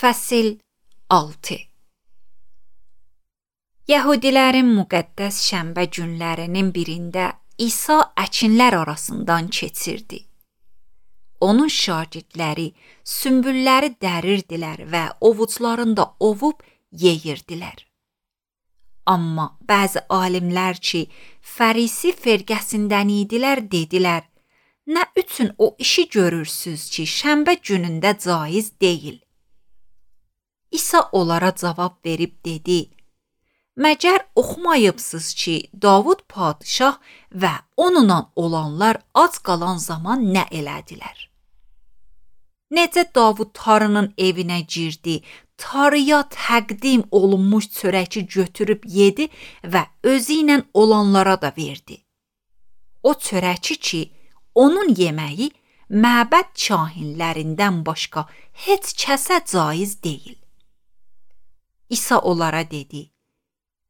Fəsil 6. Yəhudilərin müqəddəs şənbə günlərinin birində İsa əkinlər arasından keçirdi. Onun şagirdləri sümbülləri dərirdilər və ovuclarında ovub yeyirdilər. Amma bəzi alimlər ki, Fərisi firqəsindən idilər, dedilər: "Nə üçün o işi görürsüz ki, şənbə günündə caiz deyil?" İsa onlara cavab verib dedi: "Məgər oxumayıbsınız ki, Davud padişah və onunla olanlar ac qalan zaman nə elədilər? Necə Davud tarının evinə girdi, tarıya təqdim olunmuş çörəki götürüb yedi və özü ilə olanlara da verdi. O çörəki ki, onun yeməyi məbəd kahinlərindən başqa heç kəsə caiz deyil." İsa onlara dedi: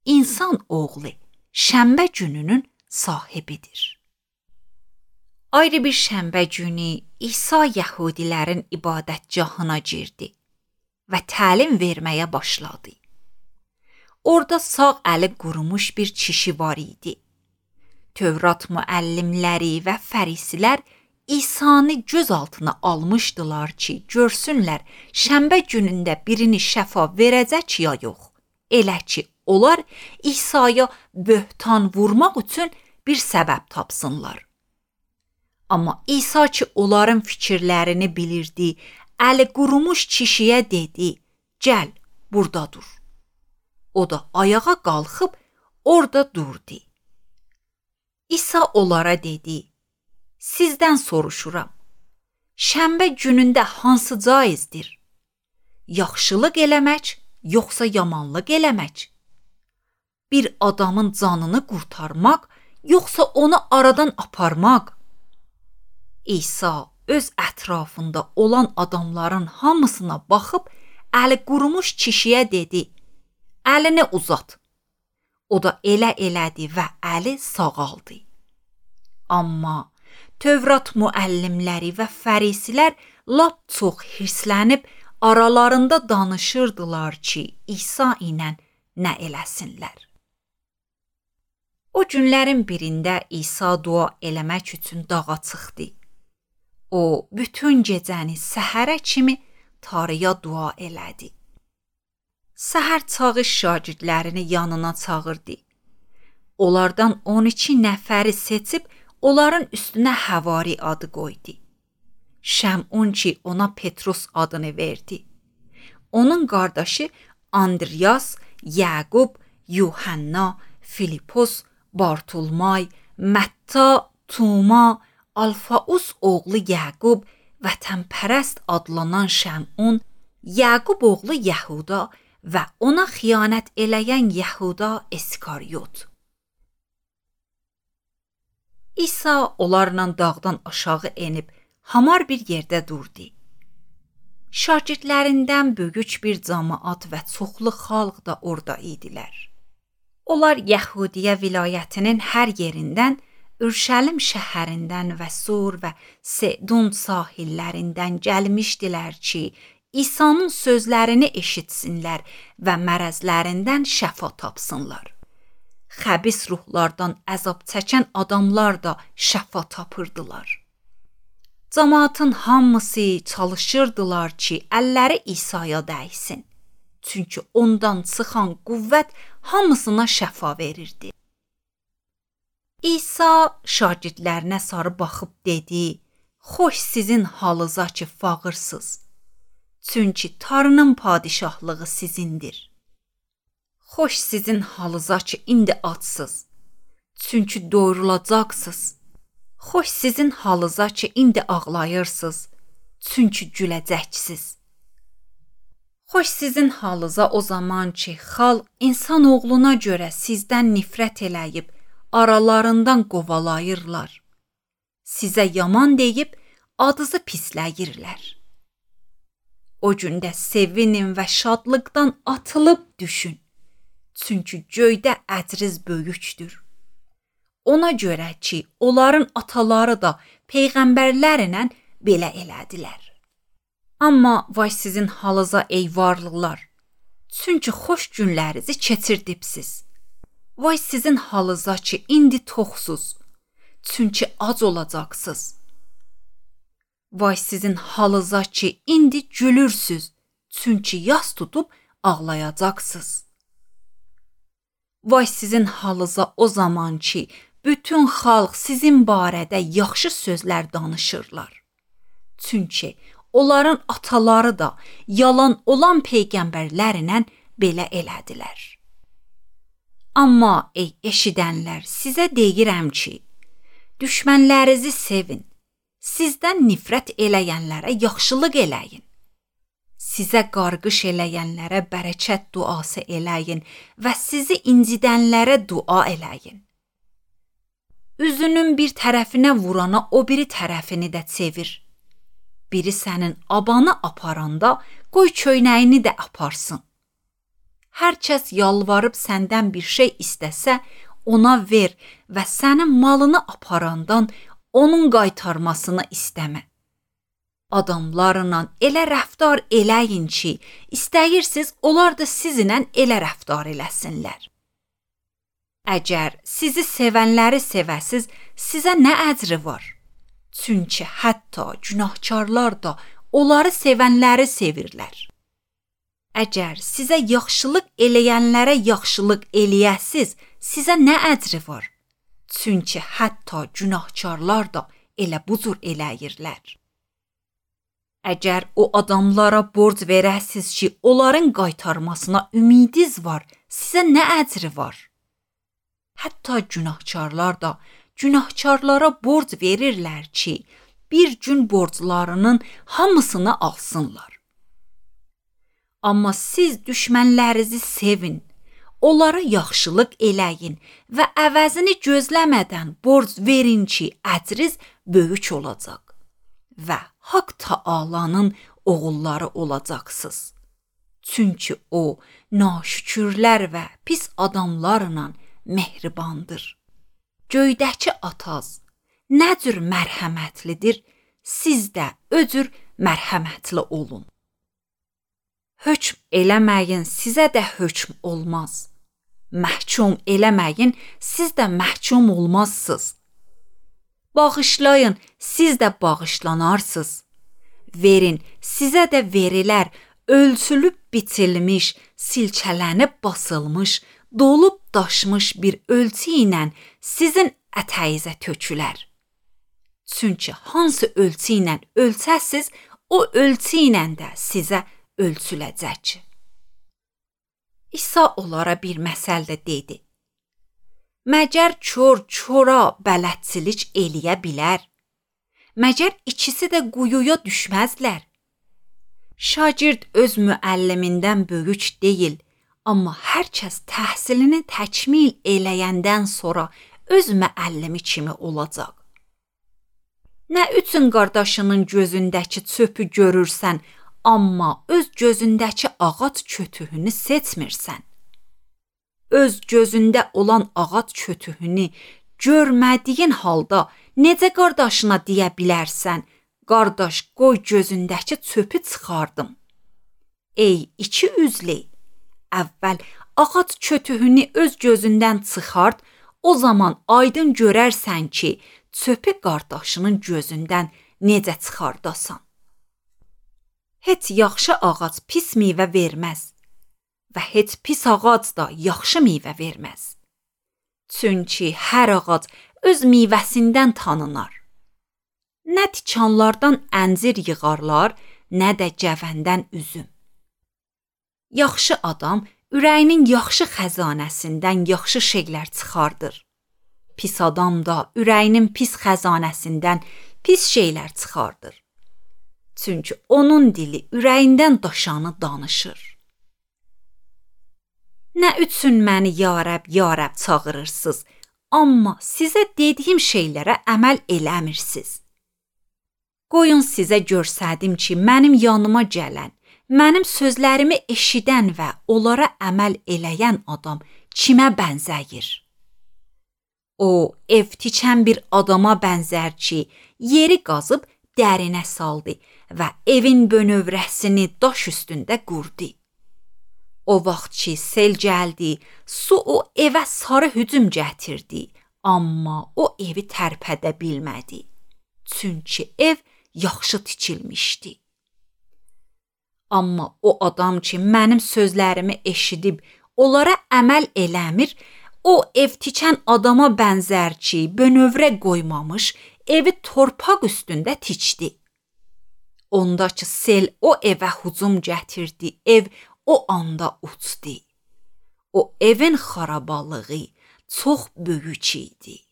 "İnsan oğlu şənbə gününün sahibidir." Ayrı bir şənbə günü İsa Yəhudilərin ibadətgahına girdi və təlim verməyə başladı. Orada sağ əli qurumuş bir kişi var idi. Tövrat müəllimləri və fərisilər İsa'nı göz altına almışdılar ki, görsünlər şənbə günündə birini şəfa verəcək ya yox. Elə ki, onlar İsa'ya böhtan vurmaq üçün bir səbəb tapsınlar. Amma İsa ki, onların fikirlərini bilirdi, əli qurumuş kişiyə dedi: "Gəl, burada dur." O da ayağa qalxıb orada durdu. İsa onlara dedi: "Sizdən soruşuram. Şənbə günündə hansı caizdir? Yaxşılıq eləmək, yoxsa yamanlıq eləmək? Bir adamın canını qurtarmaq, yoxsa onu aradan aparmaq?" İsa öz ətrafında olan adamların hamısına baxıb əli qurumuş kişiyə dedi: "Əlini uzat." O da elə elədi və əli sağaldı. Amma Tövrat müəllimləri və fərisilər lap çox hirslənib aralarında danışırdılar ki, İsa ilə nə eləsinlər. O günlərin birində İsa dua eləmək üçün dağa çıxdı. O bütün gecəni səhərə kimi tarıya dua elədi. Səhər çağı şagirdlərini yanına çağırdı. Onlardan 12 nəfəri seçib onların üstünə Həvari adı qoydu. Şəmun ki, ona Petrus adını verdi. Onun qardaşı Andriyas, Yaqub, Yuhanna, Filipos, Bartolmay, Mətta, Tuma, Alfaus oğlu Yaqub, vətənpərəst adlanan Şəmun, Yaqub oğlu Yəhuda və ona xiyanət eləyən Yəhuda İskaryot. İsa onlarla dağdan aşağı enib hamar bir yerdə durdu. Şagirdlərindən böyük bir cəmaət və çoxlu xalq da orada idilər. Onlar Yəhudiyə vilayətinin hər yerindən, Ürşəlim şəhərindən və Sur və Sedun sahillərindən gəlmişdilər ki, İsa'nın sözlərini eşitsinlər və mərəzlərindən şəfa tapsınlar. Xəbis ruhlardan əzab çəkən adamlar da şəfa tapırdılar. Cəmaatın hamısı çalışırdılar ki, əlləri İsa'ya dəysin. Çünki ondan çıxan qüvvət hamısına şəfa verirdi. İsa şagirdlərinə sarı baxıb dedi: "Xoş sizin halınıza ki, fağırsınız. Çünki tarının padişahlığı sizindir. Xoş sizin halınıza ki, indi açsınız. Çünki doyurulacaqsınız. Xoş sizin halınıza ki, indi ağlayırsınız. Çünki güləcəksiniz. Xoş sizin halınıza o zaman ki, xalq insan oğluna görə sizdən nifrət eləyib, aralarından qovalayırlar. Sizə yaman deyib, adınızı pisləyirlər. O gündə sevinin və şadlıqdan atılıb düşün. Çünki göydə əcriz böyükdür. Ona görə ki, onların ataları da peyğəmbərlərlə belə elədilər." Amma vay sizin halınıza ey varlıqlar. Çünki xoş günlərinizi keçirdibsiz. Vay sizin halınıza ki, indi toxsuz. Çünki ac olacaqsınız. Vay sizin halınıza ki, indi gülürsüz. Çünki yas tutub ağlayacaqsınız. Vay sizin halınıza o zaman ki, bütün xalq sizin barədə yaxşı sözlər danışırlar. Çünki onların ataları da yalan olan peyğəmbərlərlə belə elədilər. Amma ey eşidənlər, sizə deyirəm ki, düşmənlərinizi sevin, sizdən nifrət eləyənlərə yaxşılıq eləyin. Sizə qarqış eləyənlərə bərəkət duası eləyin və sizi incidənlərə dua eləyin. Üzünün bir tərəfinə vurana o biri tərəfini də çevir. Biri sənin abanı aparanda qoy köynəyini də aparsın. Hər kəs yalvarıb səndən bir şey istəsə, ona ver və sənin malını aparandan onun qaytarmasını istəmə. Adamlarla elə rəftar eləyin ki, istəyirsiniz onlar da sizinlə elə rəftar eləsinlər. Əgər sizi sevənləri sevəsiz, sizə nə əcri var? Çünki hətta günahkarlar da onları sevənləri sevirlər. Əgər sizə yaxşılıq eləyənlərə yaxşılıq eləyəsiz, sizə nə əcri var? Çünki hətta günahkarlar da elə bu cür eləyirlər. Əgər o adamlara borc verəsiz ki, onların qaytarmasına ümidiz var, sizə nə əcri var? Hətta günahkarlar da günahkarlara borc verirlər ki, bir gün borclarının hamısını alsınlar. Amma siz düşmənlərinizi sevin, onlara yaxşılıq eləyin və əvəzini gözləmədən borc verin ki, əcriz böyük olacaq və Haqq Taalanın oğulları olacaqsınız. Çünki o, naşükürlər və pis adamlarla mehribandır. Göydəki ataz nə cür mərhəmətlidir, siz də o cür mərhəmətli olun. Hökm eləməyin, sizə də hökm olmaz. Məhkum eləməyin, siz də məhkum olmazsınız. Bağışlayın, siz də bağışlanarsınız. Verin, sizə də verilər, ölçülüb biçilmiş, silkələnib basılmış, dolub daşmış bir ölçü ilə sizin ətəyizə tökülər. Çünki hansı ölçü ilə ölçəsiz, o ölçü ilə də sizə ölçüləcək. İsa onlara bir məsəldə dedi. Məgər kör-köra bələdçilik eləyə bilər? Məgər ikisi də quyuya düşməzlər? Şagird öz müəllimindən böyük deyil, amma hər kəs təhsilini təkmil eləyəndən sonra öz müəllimi kimi olacaq. Nə üçün qardaşının gözündəki çöpü görürsən, amma öz gözündəki ağac kötüyünü seçmirsən? Öz gözündə olan ağac kötüyünü görmədiyin halda necə qardaşına deyə bilərsən, qardaş qoy gözündəki çöpü çıxardım. Ey iki üzlü, əvvəl ağac kötüyünü öz gözündən çıxart, o zaman aydın görərsən ki, çöpü qardaşının gözündən necə çıxardasan. Heç yaxşı ağac pis meyvə verməz və heç pis ağac da yaxşı meyvə verməz. Çünki hər ağac öz meyvəsindən tanınar. Nə tikanlardan əncir yığarlar, nə də cəvəndən üzüm. Yaxşı adam ürəyinin yaxşı xəzanəsindən yaxşı şeylər çıxardır. Pis adam da ürəyinin pis xəzanəsindən pis şeylər çıxardır. Çünki onun dili ürəyindən daşanı danışır. Nə üçün məni ya Rəbb, ya Rəbb çağırırsınız, amma sizə dediyim şeylərə əməl eləmirsiniz. Qoyun sizə görsədim ki, mənim yanıma gələn, mənim sözlərimi eşidən və onlara əməl eləyən adam kimə bənzəyir? O, ev tikən bir adama bənzər ki, yeri qazıb dərinə saldı və evin bönövrəsini daş üstündə qurdu. O vaxt ki sel gəldi, su o evə sarı hücum gətirdi, amma o evi tərpədə bilmədi. Çünki ev yaxşı tikilmişdi. Amma o adam ki mənim sözlərimi eşidib onlara əməl eləmir, o ev tikən adama bənzər ki, bönövrə qoymamış, evi torpaq üstündə tikdi. Ondakı sel o evə hücum gətirdi, ev o anda uçdu. O evin xarabalığı çox böyük idi.